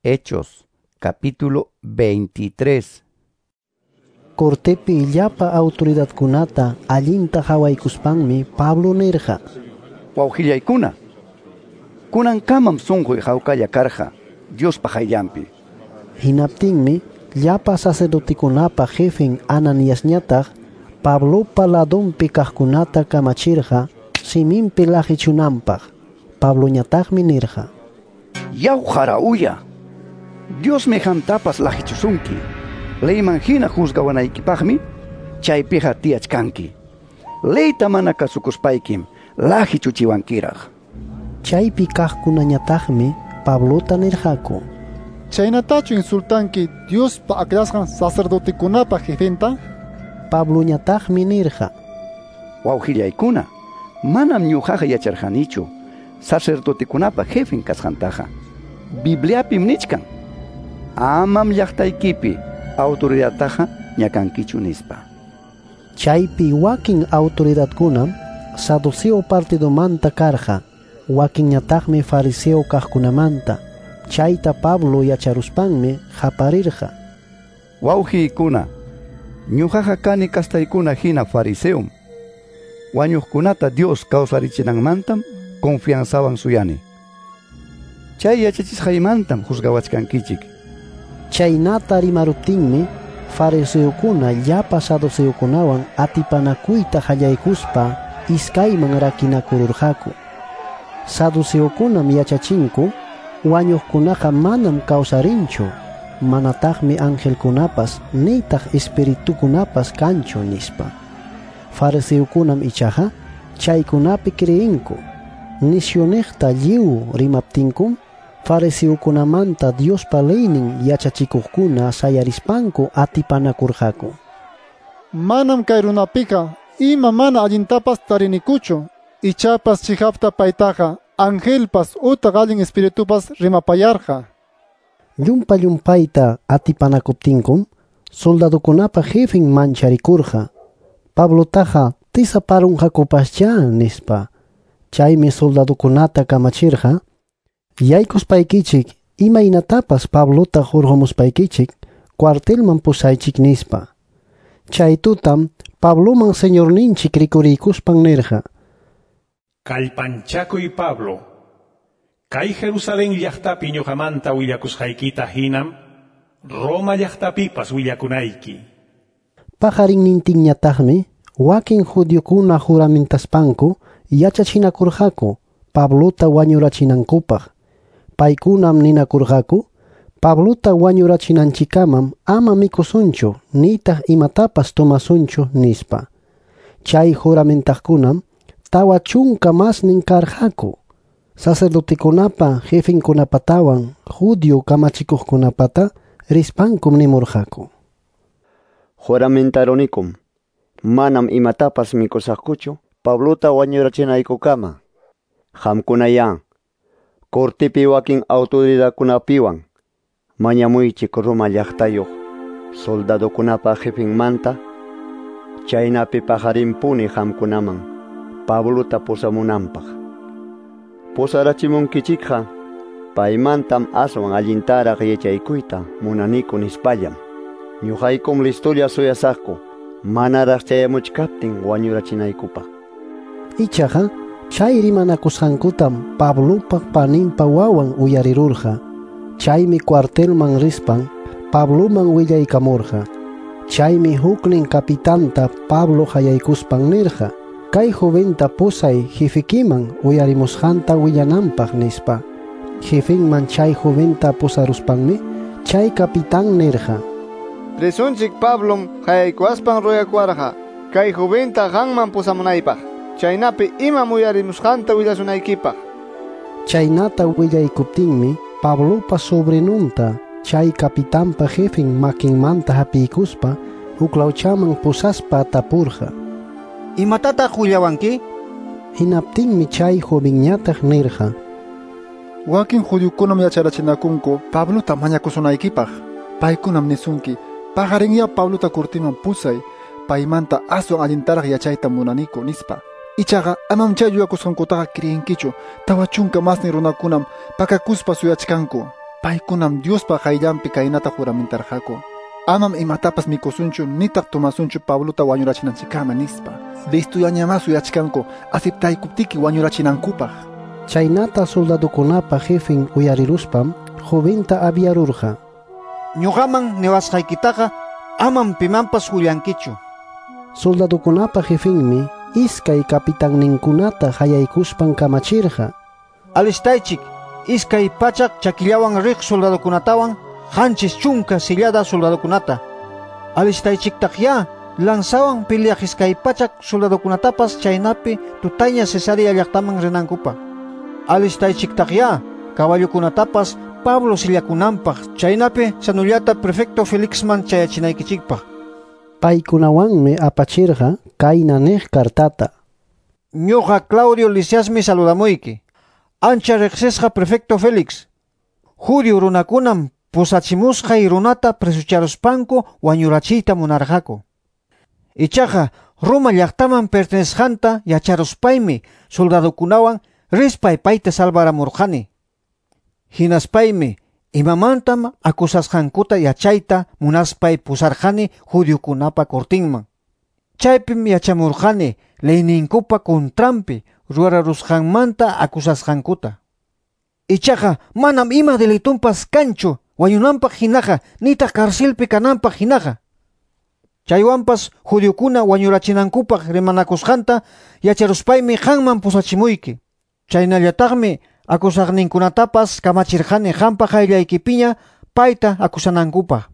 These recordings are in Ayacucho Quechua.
Hechos, capítulo 23. Cortepi llapa autoridadkunata allinta hawaykuspanmi Pablo nirqa: Wawqillaykuna, kunankamam sunquy hawkalla karqa Diospa qayllanpi. Hinaptinmi llapa sacerdotekunapa jefen Ananiasñataq Pablopa ladonpi kaqkunata kamachirqa siminpi laqichunanpaq. Pabloñataqmi nirqa: Yaw jarauya, Diosmi qamtapas laqichusunki. Leyman hina juzgawanaykipaqmi chaypiqa tiyachkanki. Leyta mana kasukuspaykim laqichuchiwankiraq. Chaypi kaqkunañataqmi Pablota nirqaku: Chaynatachu insultanki Diospa aklasqan sacerdotekunapa jefenta? Pabloñataqmi nirqa: Wawqillaykuna, manam ñuqaqa yacharqanichu sacerdotekunapa jefen kasqantaqa. Bibliapim nichkan: Amam llaqtaykipi autoridadtaqa ñakankichu nispa. Chaypi wakin autoridadkunam saduceo partidomanta karqa, wakinñataqmi fariseo kaqkunamanta. Chayta Pablo yacharuspanmi qaparirqa: Wawqiykuna, ñuqaqa kani kastaykuna hina fariseom. Wañuqkunata Dios kawsarichinanmantam confianzawan suyani. Chay yachachisqaymantam juzgawachkankichik. Chaynata rimaruptinmi fariseokuna llapa saduceokunawan atipanakuyta qallaykuspa iskayman rakinakururqaku. Saduceokunam yachachinku wañuqkunaqa manam kawsarinchu, manataqmi angelkunapas nitaq espiritukunapas kanchu nispa. Fariseokunam ichaqa chaykunapi creenku. Nisyuniqta lliw rimaptinkum fariseokunamanta Diospa leynin yachachikuqkuna sayarispanku atipanakurqaku. Manam kay runapiqa ima mana allintapas tarinikuchu, ichapas chihapta paytaqa angelpas utaq allin espiritupas rimapayarqa. Llumpa llumpayta atipanakuptinkum soldadokunapa jefen mancharikurqa. Pablotaqa tisaparunqakupaschá nispa. Chaymi soldadokunata kamachirqa: Yaykuspaykichik imaynatapas Pablota hurqumuspaykichik cuartelman pusaychik nispa. Chay tutam Pabloman señorninchik rikuriykuspan nirqa: Kallpanchakuy Pablo, kay Jerusalén llaqtapi ñuqamanta willakusqaykita hinam Roma llaqtapipas willakunayki. Paqarinnintinñataqmi wakin judiokuna juramentaspanku yachachinakurqaku Pablota wañurachinankupaq. Paykunam ninakurqaku: Pablota wañurachinanchikamam ama mikusunchu nitaq imatapas tomasunchu nispa. Chay juramentaqkunam 40 masnin karqaku. Sacerdotekunapa jefenkunapatawan judio kamachikuqkunapata rispankum nimurqaku: Juramentarunikum, manam imatapas mikusaqkuchu Pablota wañurachinaykukama. Qamkunayá cortepi wakin autoridadkunapiwan mañamuychik Roma llaqtayuq soldadokunapa jefenmanta, chaynapi paqarinpuni qamkunaman Pablota pusamunanpaq. Pusarachimunkichikqa paymantam aswan allintaraq yachaykuyta munaniku nispallam. Ñuqaykum listolla suyasaqku manaraq chayamuchkaptin wañurachinaykupaq. Ichaqa chay rimanakusqankutam Pablopa paninpa wawan uyarirurqa. Chaymi cuartelman rispan Pabloman willaykamurqa. Chaymi huknin capitanta Pablo qayaykuspan nirqa: Kay joventa pusay jefekiman uyarimusqanta willananpaq nispa. Jefenman chay joventa pusaruspanmi chay capitán nirqa: Presunchik Pablom qayaykuwaspan ruyakuwarqa kay joventa qanman pusamunaypaq, chaynapi imam uyarimusqanta willasunaykipaq. Chaynata willaykuptinmi Pablopa sobrinunta chay capitanpa jefen makinmanta hapiykuspa huklawchaman pusaspa tapurqa: Imatataq willawanki? Hinaptinmi chay jovenñataq nirqa: Wakin judiokunam yacharachinakunku Pablota mañakusunaykipaq. Paykunam nisunki: Paqarinya Pablota cortiman pusay, paymanta aswan allintaraq yachayta munaniku nispa. Ichaqa amam chay yuyakusqankutaqa creenkichu. 40 masnin runakunam pakakuspa suyachkanku. Paykunam Diospa qayllanpi kaynata juramentarqaku: Amam imatapas mikusunchu nitaq tomasunchu Pablota wañurachinanchikkama nispa. Listollañamá suyachkanku aceptaykuptiki wañurachinankupaq. Chaynata soldadokunapa jefen uyariruspam joventa aviarurqa. Ñuqaman niwasqaykitaqa amam pimanpas willankichu. Soldadokunapa jefenmi iskay kapitanninkunata hayaykuspan kamachirqa. Alistaychik 200 chakillawan riq soldadokunatawan 70 sillada soldadokunata. Alistaychiktaqya lanzawan peleaq 200 soldadokunatapas chaynapi tutaña Cesarea llaqtaman rinankupaq. Alistaychiktaqya caballokunatapas Pablo sillakunanpaq chaynapi sanullata prefecto Felixman chayachinaykichikpaq. Paykunawanmi apachirqa kayna niq cartata. Ñuqa Claudio Lisiasmi saludamuyki. Ancha riqsisqa prefecto Félix. Judio runakunam pusachimusqay runata presucharuspanku wañurachiyta munarqaku. Ichaqa Roma llaqtaman pertenesqanta yacharuspaymi soldadokunawan rispay payta salvaramurqani. Hinaspaymi imamantam acusasqankuta yachayta munaspay pusarqani judiokunapa cortinman. Chaypim yachamurqani leyninkupa contranpi ruwararusqanmanta acusasqankuta. Ichaqa manam ima delitunpas kanchu wañunanpaq hinaqa nitaq carcelpi kananpaq hinaqa. Chaywanpas judiokuna wañurachinankupaq rimanakusqanta yacharuspaymi qanman pusachimuyki. Chaynallataqmi acusaqninkunatapas kamachirqani qampa qayllaykipiña payta acusanankupaq.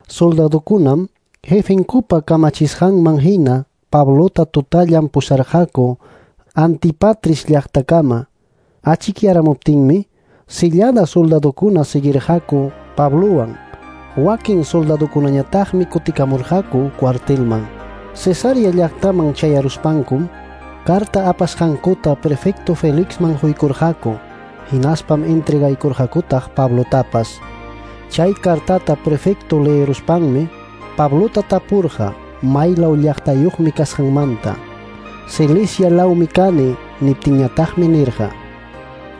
Soldadokunam jefenkupa kamachisqanman hina Pablota tutallan pusarqaku Antipatris llaqtakama. Achikyaramuptinmi sillada soldadokuna seguirqaku Pablowan. Wakin soldadokunañataqmi kutikamurqaku cuartelman. Cesarea llaqtaman chayaruspankum carta apasqankuta prefecto Felixman huykurqaku. Hinaspam entregaykurqakutaq Pablotapas. Chay cartata prefecto leeruspanmi Pablota tapurqa maylaw llaqtayuqmi kasqanmanta. Cilicia lawmi kani niptinñataqmi nirqa: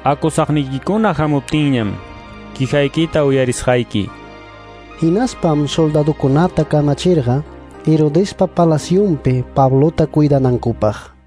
Acusaqniykikuna hamuptinñam quijaykita uyarisqayki. Hinaspam soldadokunata kamachirqa Herodespa palacionpi Pablota cuidanankupaq.